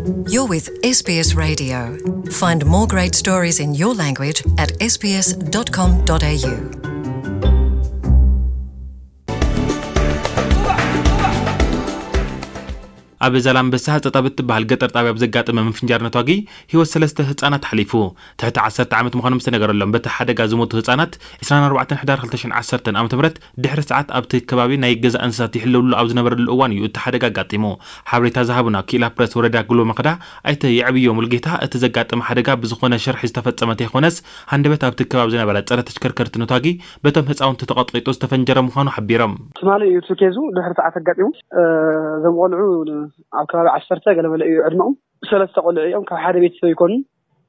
You're with S B S Radio. Find more great stories in your language at S B S dot com dot A U. ኣብ ዛላምበሳ ህጸጣ ብትበሃል ገጠር ጣብያ ብዘጋጠመ ምፍንጃር ነታጊ ህይወት ሰለስተ ህጻናት ሓሊፉ። ትሕቲ ዓሰርተ ዓመት ምዃኖም ዝተነገረሎም በቲ ሓደጋ ዝሞቱ ህጻናት ዕስራን ኣርባዕተን ሕዳር ክልተ ሽሕን ዓሰርተን ዓመተ ምህረት ድሕሪ ሰዓት ኣብቲ ከባቢ ናይ ገዛ እንስሳት ይሕለውሉ ኣብ ዝነበረሉ እዋን እዩ እቲ ሓደጋ ኣጋጢሙ። ሓበሬታ ዝሃቡና ክኢላ ፕረስ ወረዳ ጉሎ መኸዳ ኣይተ የዕብዮ ሙልጌታ፣ እቲ ዘጋጠመ ሓደጋ ብዝኾነ ሸርሒ ዝተፈጸመ ተይኮነስ፣ ሃንደበት ኣብቲ ከባቢ ዝነበረ ጸረ ተሽከርከርቲ ነታጊ በቶም ህጻውንቲ ተቐጥቂጡ ዝተፈንጀረ ምዃኑ ሓቢሮም። ትማሊ እዩ እቲ ኬዙ ድሕሪ ሰዓት ኣጋጢሙ። እ፣ እዞም ቆልዑ ኣብ ከባቢ ዓሰርተ ገለመለ እዩ ዕድመኦም። ሰለስተ ቆልዑ እዮም፣ ካብ ሓደ ቤተሰብ ይኮኑ።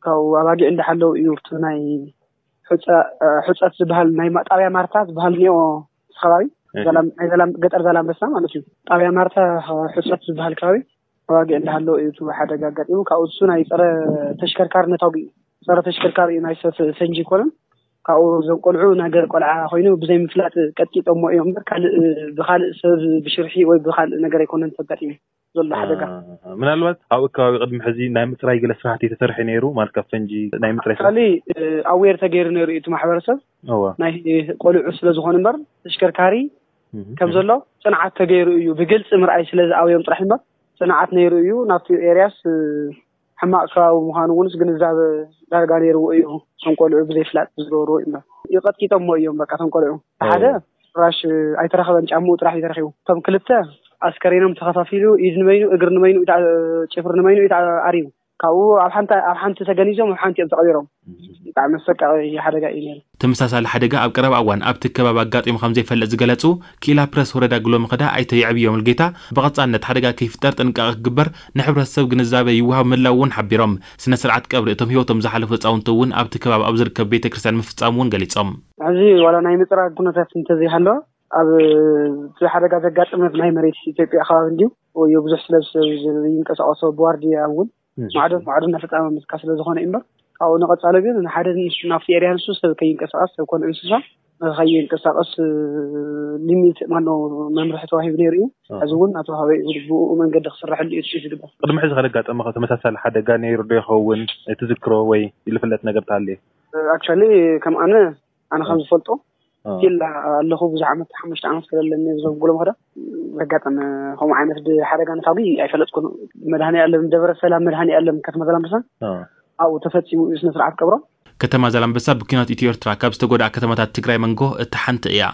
ካብ ኣባጊዕ እንዳሓለው እዩ እቲ ናይ ሑጸ-፣ እ፣ ሑጸት ዝበሃል ናይ ማ-፣ ጣብያ ማርታ ዝበሃል እኒኦ፣ እቲ ከባቢ እሺ። ዛላም-፣ ናይ ዛላም-፣ ገጠር ዛላምበሳ ማለት እዩ። ጣብያ ማርታ፣ እ፣ ሑጸት ዝበሃል ከባቢ ኣባጊዕ እንዳሃለው እዩ እቲ ሓደጋ ኣጋጢሙ። ካብኡ እሱ ናይ ጸረ ተሽከርካሪ ነታጉ እዩ። ጸረ ተሽከርካሪ እዩ፣ ናይ ሰብ ፈንጂ ይኮነን። ካብኡ እዞም ቆልዑ ናይ ገለ ቆልዓ ኮይኑ ብዘይ ምፍላጥ ቀጥቂጦሞ እዮም እምበር ካልእ፣ ብኻልእ ሰብ ብሽርሒ ወይ ብኻልእ ነገር ኣይኮነን ተጋጢሙ ዘሎ ሓደጋ። አ፣ ምናልባት ኣብኡ ከባቢ ቅድሚ ሕዚ ናይ ምጽራይ ገለ ስራሕቲ ተሰርሐ ነይሩ ማለት ካብ ፈንጂ ናይ ምጽራይ ስራሕቲ? ኣክቹዋሊ፣ እ፣ ኣዌር ተገይሩ ነይሩ እዩ እቲ ማሕበረሰብ። እዋ። ናይ ቆልዑ ስለ ዝኾነ እምበር ተሽከርካሪ እህ፣ ከም እህ። ዘሎ ጽንዓት ተገይሩ እዩ። ብግልጺ ምርኣይ ስለ ዝኣበዮም ጥራሕ እምበር ጽንዓት ነይሩ እዩ። ናብቲ ኤርያስ፣ እ፣ ሕማቕ ከባቢ ምዃኑ እውንስ ግንዛበ ዳርጋ ነይርዎ እዩ። እቶም ቆልዑ ብዘይፍላጥ ዝገበርዎ እዩ እምበር። ይቐጥቂጦሞ እዮም በቃ እቶም ቆልዑ። ሓደ እዎ። ፍራሽ ኣይተረኸበን፣ ጫምኡ ጥራሕ እዩ ተረኺቡ። እቶም ክልተ ኣስከሬኖም ተኸፋፊሉ፣ ኢድ ንበይኑ፣ እግሪ ንበይኑ፣ ኢታ-፣ ጭፍሪ ንበይኑ እዩ ተኣሪቡ። ካብኡ ኣብ ሓንቲ፣ ኣብ ሓንቲ ተገኒዞም፣ ኣብ ሓንቲ እዮም ተቐቢሮም። እህ። ብጣዕሚ ኣሰቃቂ ሓደጋ እዩ ነይሩ። ተመሳሳሊ ሓደጋ ኣብ ቀረባ እዋን ኣብቲ ከባቢ ኣጋጢሙ ከም ዘይፈልጥ ዝገለጹ ክኢላ ፕረስ ወረዳ ጉሎ መኸዳ ኣይተ የዕብዮ ሙልጌታ፣ ብቐጻልነት ሓደጋ ከይፍጠር ጥንቃቐ ክግበር ንሕብረተሰብ ግንዛበ ይወሃብ ምህላው እውን ሓቢሮም። ስነ ስርዓት ቀብሪ እቶም ህይወቶም ዝሓለፉ ህጻውንቲ እውን ኣብቲ ከባቢ ኣብ ዝርከብ ቤተ ክርስቲያን ምፍጻሙ እውን ገሊጾም። ሕዚ ዋላ ናይ ምጽራግ ኩነታት እንተዘይሃለወ፣ ኣብ እቲ ሓደጋ ዘጋጠመ ናይ መሬት ኢትዮጵያ ከባቢ እንድዩ ወይ ብዙሕ ስለ ዝይንቀሳቐሶ ብዋርድያ እውን እህ። ማዕዶ ማዕዶ እናፈጻመ ምትካ ስለ ዝኾነ እዩ እምበር፣ ካብኡ ንቐጻሊ ግን ንሓደ ንሱ ናብቲ ኤርያ ንሱ ሰብ ከይንቀሳቐስ፣ ሰብ ኮነ እንስሳ ከይንቀሳቐስ፣ እ፣ ሊሚት፣ ማነው፣ መምርሒ ተዋሂቡ ነይሩ እዩ። ኣሃ። ሕዚ እውን እናተዋህበ እዩ፣ ብኡ መንገዲ ክስረሐሉ እዩ ትጽቢት ዝግበር። ቅድሚ ሕዚ ከለጋጠመ ተመሳሳሊ ሓደጋ ነይሩ ዶ ይኸውን? ትዝክሮ ወይ ዝፍለጥ ነገር ተሃልየ? ኣክቹዋሊ፣ ከም ኣነ፣ ኣነ ከም ኣሃ። ዝፈልጦ፣ ኣሃ። ስቲል ኣለኹ፣ ብዙሕ ዓመት፣ ሓሙሽተ ዓመት ስለለኒ እዞም ጉሎ መኸዳ ዘጋጠመ ከምኡ ዓይነት ብ-፣ ሓደጋ ነታጒ ኣይፈለጥኩን። መድሃኔ ዓለም፣ ደብረ ሰላም መድሃኔ ዓለም ከተማ ዛላምበሳ፣ ኣሃ። ኣብኡ ተፈጺሙ እዩ ስነ ስርዓት ቀብሮም። ከተማ ዛላምበሳ ብኲናት ኢትዮ ኤርትራ ካብ ዝተጎድኣ ከተማታት ትግራይ መንጎ እታ ሓንቲ እያ።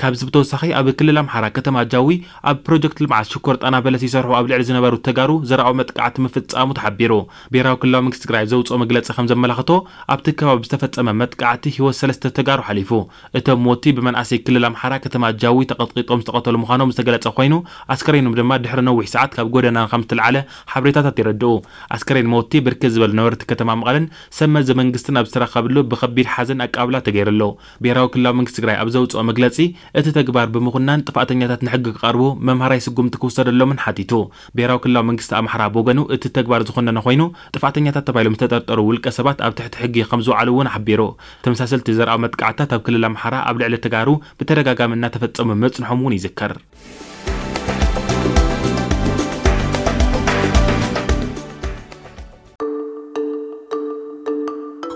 ካብዚ ብተወሳኺ ኣብ ክልል ኣምሓራ ከተማ ጃዊ ኣብ ፕሮጀክት ልምዓት ሽኮር ጣና በለስ ይሰርሑ ኣብ ልዕሊ ዝነበሩ ተጋሩ ዘርኣዊ መጥቃዕቲ ምፍጻሙ ተሓቢሩ። ብሄራዊ ክልላዊ መንግስቲ ትግራይ ኣብ ዘውፅኦ መግለፂ ከም ዘመላኽቶ ኣብቲ ከባቢ ብዝተፈጸመ መጥቃዕቲ ህይወት ሰለስተ ተጋሩ ሓሊፉ። እቶም ሞቲ ብመንኣሰይ ክልል ኣምሓራ ከተማ ጃዊ ተቐጥቂጦም ዝተቐተሉ ምዃኖም ዝተገለጸ ኮይኑ ኣስከሬኖም ድማ ድሕሪ ነዊሕ ሰዓት ካብ ጎደና ከም ዝተልዓለ ሓበሬታታት የረድኡ። ኣስከሬን ሞቲ ብርክት ዝበሉ ነበርቲ ከተማ መቐለን ሰብ መዚ መንግስትን ኣብ ዝተረኸብሉ ብኸቢድ ሓዘን ኣቀባብላ ተገይርሉ። ብሄራዊ ክልላዊ መንግስቲ ትግራይ ኣብ ዘውፅኦ መግለፂ፣ እቲ ተግባር ብምኹናን ጥፋእተኛታት ንሕጊ ክቐርቡ መምሃራይ ስጉምቲ ክውሰደሎምን ሓቲቱ። ብሄራዊ ክልላዊ መንግስቲ ኣምሓራ ብወገኑ እቲ ተግባር ዝኾነነ ኮይኑ፣ ጥፋእተኛታት ተባሂሎም ዝተጠርጠሩ ውልቀ ሰባት ኣብ ትሕቲ ሕጊ ከም ዝውዓሉ እውን ሓቢሩ። ተመሳሰልቲ ዘርኣዊ መጥቃዕትታት ኣብ ክልል ኣምሓራ ኣብ ልዕሊ ተጋሩ ብተደጋጋሚ እናተፈጸሙ ምጽንሖም እውን ይዝከር።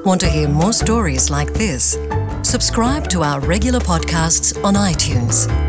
Want to hear more stories like this? Subscribe to our regular podcasts on iTunes.